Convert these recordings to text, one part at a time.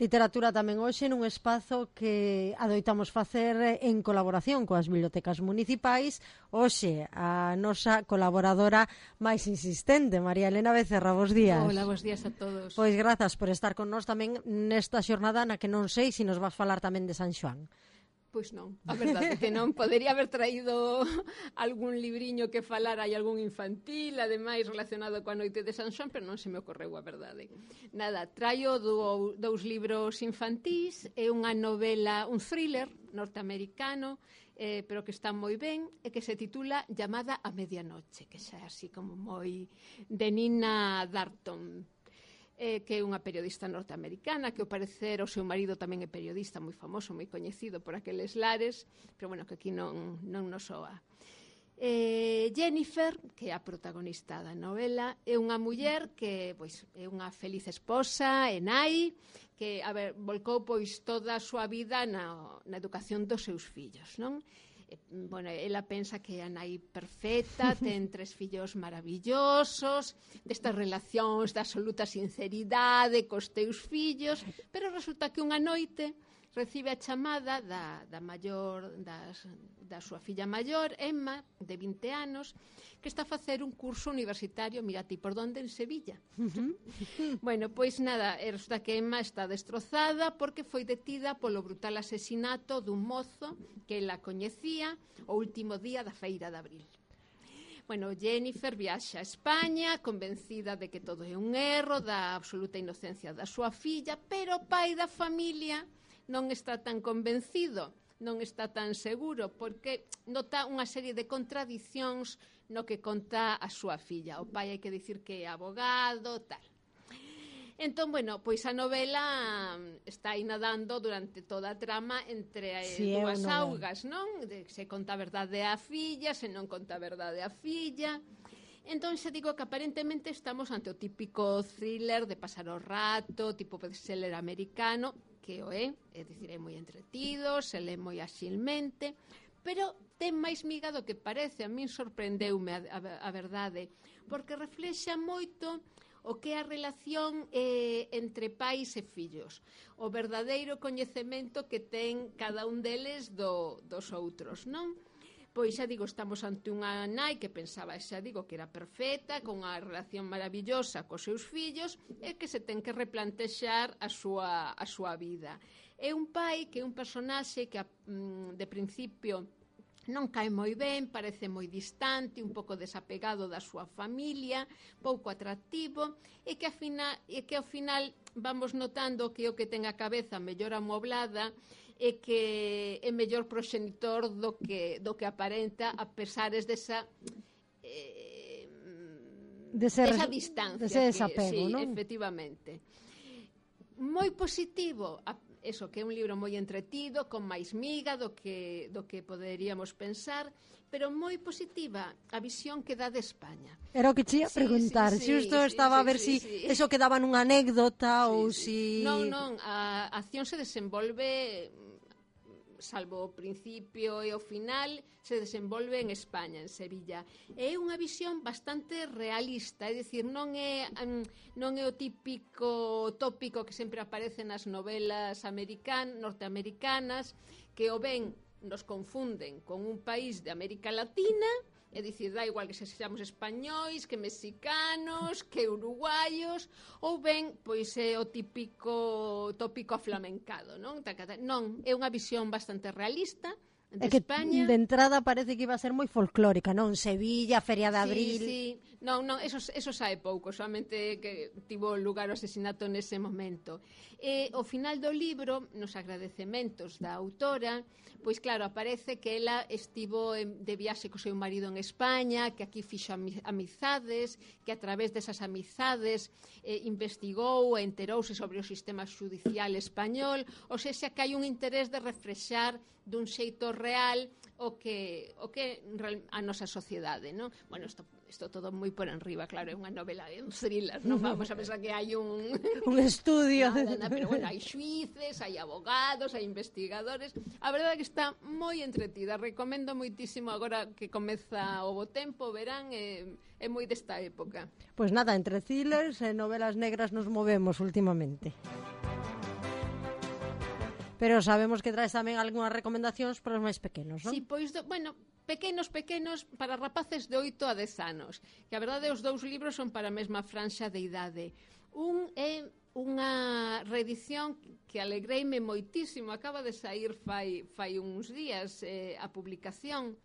Literatura tamén hoxe nun espazo que adoitamos facer en colaboración coas bibliotecas municipais. Hoxe a nosa colaboradora máis insistente, María Elena Becerra, bos días. Hola, bos días a todos. Pois grazas por estar con nós tamén nesta xornada na que non sei se nos vas falar tamén de San Xoán. Pois non, a verdade que non. Podería haber traído algún libriño que falara e algún infantil, ademais relacionado coa noite de San Xoán, pero non se me ocorreu a verdade. Nada, traio dous libros infantís e unha novela, un thriller norteamericano, pero que está moi ben, e que se titula Llamada a medianoche, que xa é así como moi de Nina Darton, que é unha periodista norteamericana, que ao parecer o seu marido tamén é periodista moi famoso, moi coñecido por aqueles lares, pero bueno, que aquí non nos soa. Jennifer, que é a protagonista da novela, é unha muller que pois, é unha feliz esposa, é nai, que volcou pois toda a súa vida na educación dos seus fillos, non? Bueno, ela pensa que é a nai perfecta, ten 3 fillos maravillosos, destas relacións de absoluta sinceridade cos teus fillos, pero resulta que unha noite recibe a chamada da súa filla maior, Emma, de 20 anos, que está a facer un curso universitario, mira ti por donde, en Sevilla. Bueno, pois nada, resulta que Emma está destrozada porque foi detida polo brutal asesinato dun mozo que ela coñecía o último día da feira de abril. Bueno, Jennifer viaxa a España convencida de que todo é un erro, da absoluta inocencia da súa filla, pero o pai da familia non está tan convencido, non está tan seguro, porque nota unha serie de contradicións no que conta a súa filla. O pai hai que dicir que é abogado, tal. Entón, bueno, pois a novela está aí nadando durante toda a trama entre dúas augas, non? Se conta a verdade a filla, se non conta a verdade a filla. Entón, xa digo que aparentemente estamos ante o típico thriller de pasar o rato, tipo bestseller americano, que o é dicir, é moi entretido, se lê moi axilmente, pero ten máis miga do que parece. A min sorprendeume a verdade, porque reflexa moito o que é a relación entre pais e fillos, o verdadeiro coñecemento que ten cada un deles dos outros, non? Pois xa digo, estamos ante unha nai que pensaba, xa digo, que era perfecta, con unha relación maravillosa cos seus fillos, e que se ten que replantexar a súa vida. É un pai que é un personaxe que de principio non cae moi ben, parece moi distante, un pouco desapegado da súa familia, pouco atractivo, e que ao final vamos notando que o que ten a cabeza mellor amoblada e que é mellor proxenitor do que aparenta, a pesares desa distancia, dese desapego, sí, non? Efectivamente. Moi positivo, eso, que é un libro moi entretido, con máis miga do que poderíamos pensar, pero moi positiva a visión que dá de España. Era o que che ia preguntar, xusto estaba a ver si eso quedaba nunha anécdota ou si... Non, a acción se desenvolve, salvo o principio e o final, se desenvolve en España, en Sevilla. É unha visión bastante realista, é dicir, non é o típico tópico que sempre aparece nas novelas norteamericanas, que o ben nos confunden con un país de América Latina, é dicir, dá igual que sexamos españois, que mexicanos, que uruguaios, ou ben, pois é o típico tópico aflamencado, non? Non, é unha visión bastante realista de España. De entrada parece que iba a ser moi folclórica, non? Sevilla, Feria de Abril... Sí. Non, eso sae pouco, solamente que tivo lugar o asesinato nese momento. O final do libro, nos agradecementos da autora, pois claro, aparece que ela estivo de viaxe co seu marido en España, que aquí fixo amizades, que a través desas amizades investigou e enterouse sobre o sistema judicial español, ou seja, que hai un interés de reflexar dun xeito real o que a nosa sociedade, non? Bueno, isto todo moi por enriba, claro, é unha novela, é un thriller, non vamos a pensar que hai un estudio. Pero bueno, hai xuíces, hai abogados, hai investigadores. A verdade é que está moi entretida, recomendo moitísimo agora que comeza o bo tempo, verán, é moi desta época. Pois nada, entre thrillers e novelas negras nos movemos últimamente. Pero sabemos que traes tamén algunhas recomendacións para os máis pequenos, non? Si, pois, bueno, pequenos para rapaces de 8 a 10 anos, que a verdade os dous libros son para a mesma franxa de idade. Un é unha reedición que alegreime moitísimo, acaba de sair fai uns días a publicación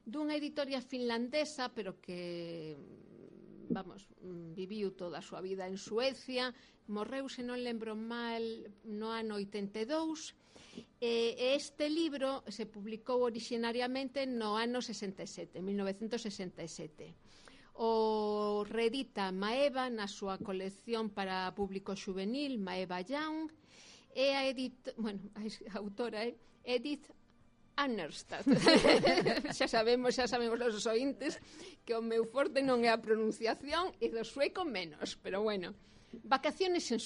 dunha editoria finlandesa, pero que viviu toda a súa vida en Suecia, morreu, se non lembro mal, no ano 82, e este libro se publicou originariamente no ano 67, 1967. O reedita Maeva na súa colección para público juvenil, Maeva Young, e a autora é Edith Arnestad. xa sabemos os ointes que o meu forte non é a pronunciación e do sueco menos, pero bueno, Vacaciones en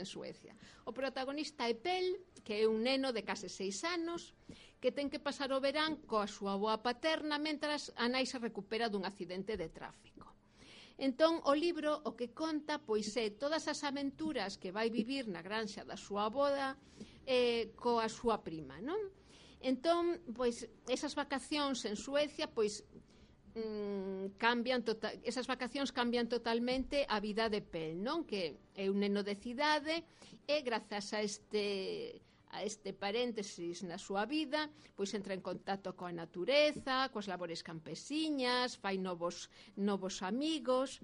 Suecia. O protagonista é Pel, que é un neno de case 6 anos que ten que pasar o verán coa súa avoa paterna mentras a nai se recupera dun accidente de tráfico. Entón, o libro o que conta pois é todas as aventuras que vai vivir na granxa da súa avoda coa súa prima, non? Entón, pois, esas vacacións en Suecia, pois, esas vacacións cambian totalmente a vida de Pel, non? Que é un neno de cidade e grazas a este paréntesis na súa vida, pois entra en contacto coa natureza, coas labores campesiñas, fai novos amigos.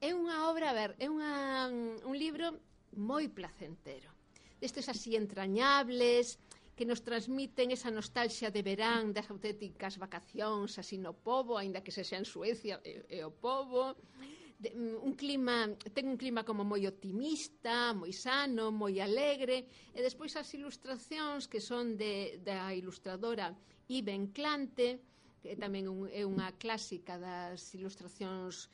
É unha obra, un libro moi placentero, destes así entrañables, que nos transmiten esa nostalgia de verán, das auténticas vacacións así no pobo, aínda que sexa en Suecia e o pobo. Ten un clima como moi optimista, moi sano, moi alegre, e despois as ilustracións que son da ilustradora Iben Klante, que tamén é unha clásica das ilustracións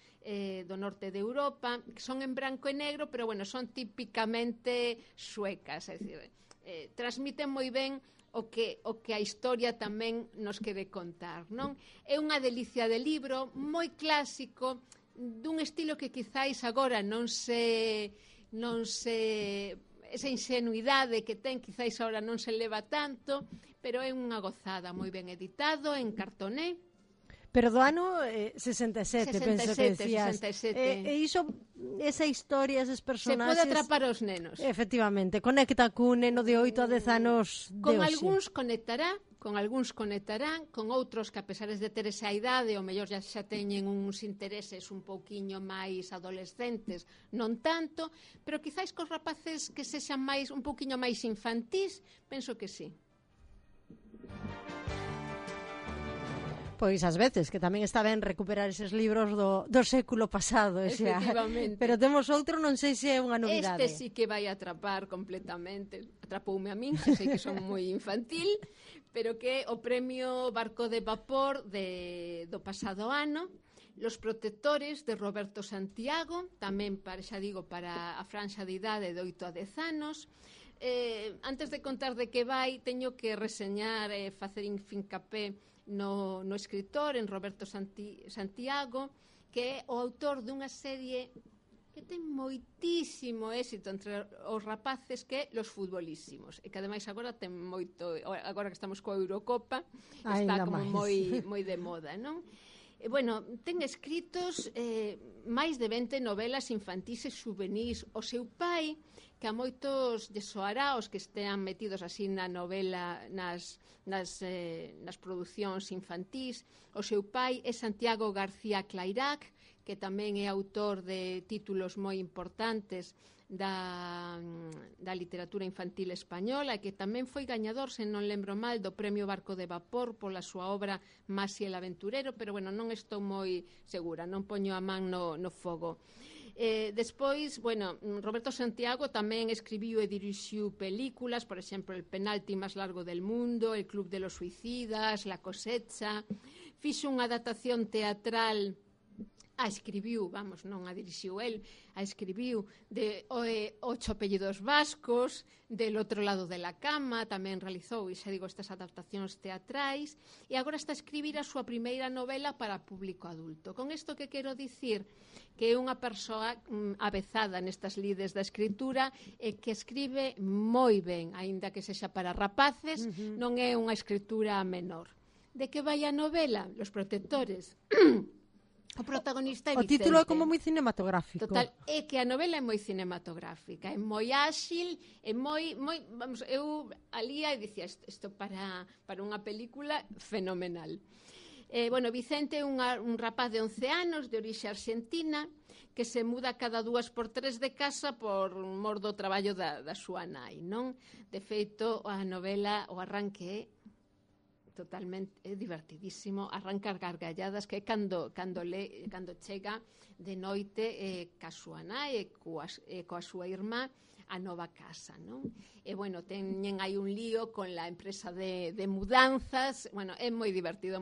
do norte de Europa, que son en branco e negro, pero bueno, son típicamente suecas, é dicir, transmiten moi ben o que a historia tamén nos quere contar, non? É unha delicia de libro, moi clásico, dun estilo que quizáis agora non se esa ingenuidade que ten quizáis agora non se leva tanto, pero é unha gozada, moi ben editado en cartoné. Pero do ano 67, penso que decías. 67. E iso, esa historia, eses personaxes... Se pode atrapar aos nenos. Efectivamente, conecta cun neno de 8 a 10 anos de con hoxe. Algúns conectarán, con outros que a pesar de ter esa idade, o mellor xa teñen uns intereses un pouquiño máis adolescentes, non tanto, pero quizáis cos rapaces que sexan un pouquiño máis infantís, penso que sí. Pois ás veces, que tamén está ben recuperar eses libros do século pasado, efectivamente. Pero temos outro, non sei se é unha novidade. Este sí que vai atrapar completamente, atrapoume a min, que sei que son moi infantil, pero que é o premio Barco de Vapor do pasado ano, Los protectores, de Roberto Santiago, tamén para a franxa de idade de 8 a 10 anos. Antes de contar de que vai, teño que reseñar e facer fincapé no escritor, en Roberto Santiago, que é o autor dunha serie que ten moitísimo éxito entre os rapaces, que é Los Futbolísimos, e que ademais agora ten agora que estamos coa Eurocopa, está como moi de moda, non? E, bueno, ten escritos máis de 20 novelas infantís e juvenís. O seu pai, que a moitos lle soará os que estean metidos así na novela, nas producións infantís, o seu pai é Santiago García Clairac, que tamén é autor de títulos moi importantes da literatura infantil española, e que tamén foi gañador, se non lembro mal, do premio Barco de Vapor pola súa obra Masi el Aventurero, pero bueno, non estou moi segura, non poño a man no fogo. Despois, bueno, Roberto Santiago tamén escribiu e dirixiu películas, por exemplo, El penalti máis largo del mundo, El club de los suicidas, La cosecha. Fixo unha adaptación teatral a escribiu, vamos, non a dirixiu el, a escribiu de 8 apellidos vascos, del outro lado de la cama, tamén realizou, e xa digo, estas adaptacións teatrais, e agora está a escribir a súa primeira novela para público adulto. Con isto que quero dicir que é unha persoa avezada nestas lides da escritura e que escribe moi ben, aínda que sexa para rapaces, non é unha escritura menor. De que vai a novela? Los protectores. O protagonista é Vicente. O título é como moi cinematográfico. Total, é que a novela é moi cinematográfica, é moi áxil, é moi vamos, eu alía e dicía isto para unha película fenomenal. Bueno, Vicente é un rapaz de 11 anos, de orixe argentina, que se muda cada 2 por 3 de casa por mor do traballo da súa nai, non? De feito, a novela, o arranque é totalmente divertidísimo, arrancar gargalladas, que é cando chega de noite ca súa nai e coa súa irmá a nova casa, non? E, bueno, teñen aí un lío con la empresa de mudanzas, bueno, é moi divertido,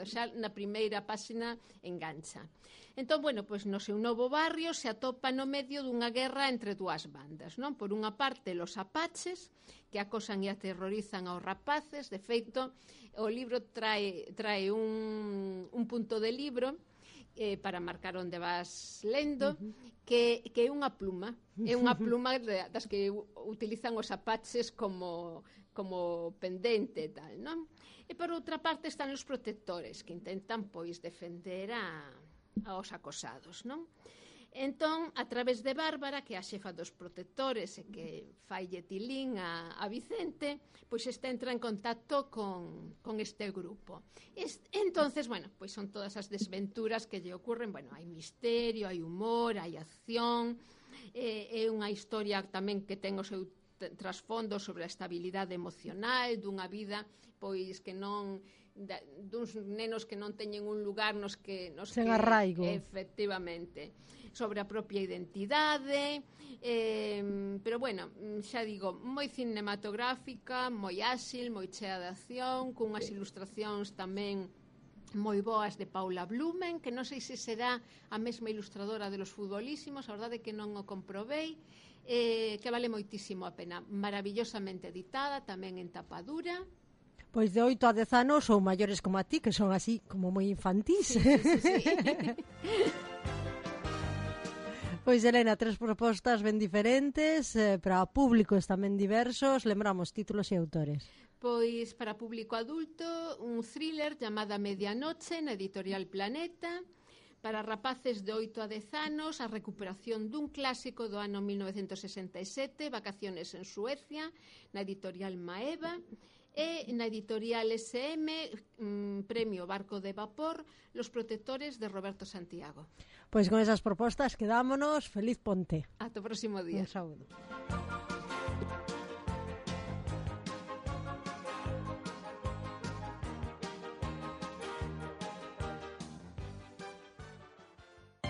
xa na primeira páxina engancha. Entón, bueno, pois no seu novo barrio se atopa no medio dunha guerra entre dúas bandas, non? Por unha parte, los apaches, que acosan e aterrorizan aos rapaces. De feito, o libro trae un punto de libro para marcar onde vas lendo, que é unha pluma. É unha pluma das que utilizan os apaches como pendente e tal, non? E por outra parte están os protectores, que intentan, pois, defender aos acosados, non? Entón, a través de Bárbara, que é a xefa dos protectores e que faille tilín a Vicente, pois entra en contacto con este grupo. Entonces, bueno, pois son todas as desventuras que lle ocurren, bueno, hai misterio, hai humor, hai acción, é unha historia tamén que ten o seu trasfondo sobre a estabilidade emocional dunha vida, pois que non duns nenos que non teñen un lugar nos que sen arraigo, efectivamente, sobre a propia identidade, pero bueno, xa digo, moi cinematográfica, moi áxil, moi chea de acción, cunhas ilustracións tamén moi boas de Paula Blumen, que non sei se será a mesma ilustradora de Los Futbolísimos, a verdade que non o comprobei, que vale moitísimo a pena, maravillosamente editada, tamén en tapadura. Pois de 8 a 10 anos ou maiores como a ti, que son así como moi infantís. Sí. Pois, Elena, 3 propostas ben diferentes, para públicos tamén diversos. Lembramos títulos e autores. Pois para público adulto, un thriller chamada Medianoche na editorial Planeta. Para rapaces de 8 a 10 anos, a recuperación dun clásico do ano 1967, Vacaciones en Suecia, na editorial Maeva. E na editorial SM, premio Barco de Vapor, Los Protectores de Roberto Santiago. Pois con esas propostas quedámonos. Feliz ponte. Ata o próximo día. Un saúdo.